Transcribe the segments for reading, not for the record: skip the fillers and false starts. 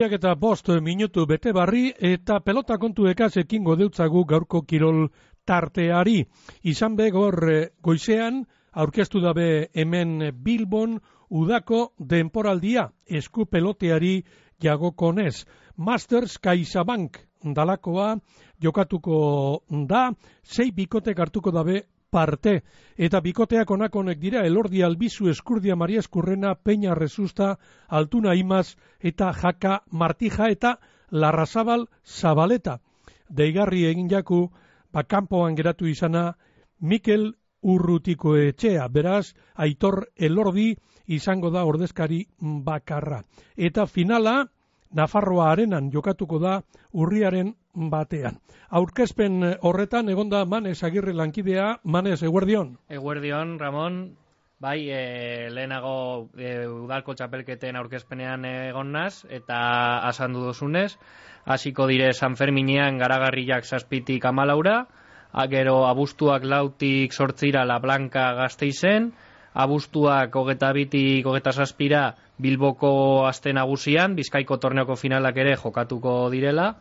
Eta 5 minutu bete barri eta pelota kontuekaz ekingo deutzagu gaurko kirol tarteari. Izan begor goizean aurkeztu dabe hemen Bilbon udako denporaldia esku peloteari jagokonez. Masters CaixaBank dalakoa jokatuko da, 6 bikotek hartuko dabe parte, eta bikoteak onakonek dira Elordi Albizu, Eskurdia Maria Eskurrena, Peña Resusta, Altuna Imaz eta Jaka Martija eta Larrazabal Zabaleta. Deigarri egin jaku, kanpoan geratu izana Mikel Urrutiko etxea, beraz Aitor Elordi izango da ordezkari bakarra. Eta finala Nafarroa Arenan jokatuko da urriaren batean. Aurkezpen horretan egonda Manes Agirre lankidea. Manes, eguerdion. Eguerdion, Ramon. Bai, lehenago udalko txapelketen aurkezpenean egon naz, eta asandu dozunez. Hasiko dire San Ferminean Garagarriak 7tik 14, gero abuztuak 4tik 8 La Blanca Gasteizen, abuztuak 22tik 27 Bilboko aste nagusian, Bizkaiko torneoko finalak ere jokatuko direla,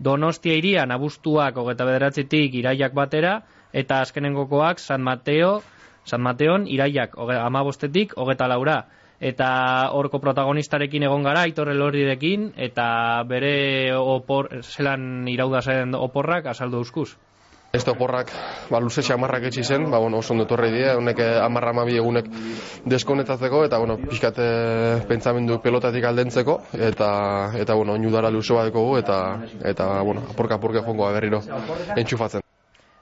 Donostia hirian abuztuak 29tik iraiak batera, eta azkenengokoak San Mateon iraiak 15tik 24. Eta horko protagonistarekin egon gara, Aitor Elordirekin, eta bere zelan iraudazen oporrak azaldu euskuz. Este oporrak luze xamarrak etxi zen, oso ondo etorri die, honek 10-12 egunek deskonetatzeko, eta pixkat pentsamendu pelotatik aldentzeko, eta oinudara luze bat dekogu, eta apurka jongoa berriro entxufatzen.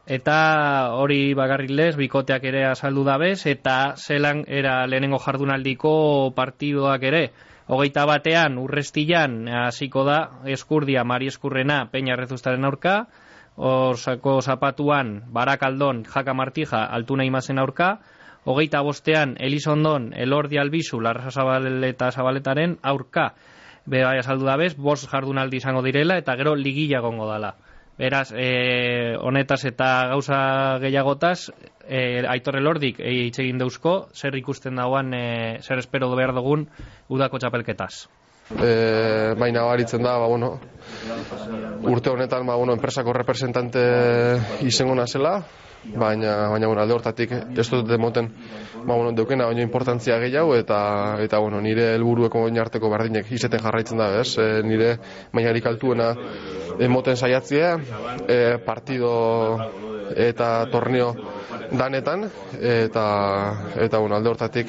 Eta hori bakarrik lez, bikoteak ere azaldu dabez, eta zelan era lehenengo jardunaldiko partidoak ere. 21 Urrestilan hasiko da Eskurdia Maria Eskurrena Peña Rezustaren aurka, Orsako Zapatuan Barakaldon Jaka Martija Altuna Imazen aurka, 25 Elizondon Elordi Albizu Larrazabal Zabaletaren aurka. Bai azaldu dabez, 5 jardunaldi izango direla eta gero ligila gongo dala. Beraz, honetaz eta gauza gehiagotaz, Aitor Elordik hitz egin deuzko, zer ikusten dauan, zer espero behar dugun udako txapelketaz. Baina baritzen da, urte honetan enpresako representante izango nazela, baina alde hortatik ez dut demoten deukena baino importantzia gehiago, eta nire helburueko oinarteko berdinek izeten jarraitzen da, nire mainarik altuena emoten saiatzea, partido eta torneo danetan, eta alde hortatik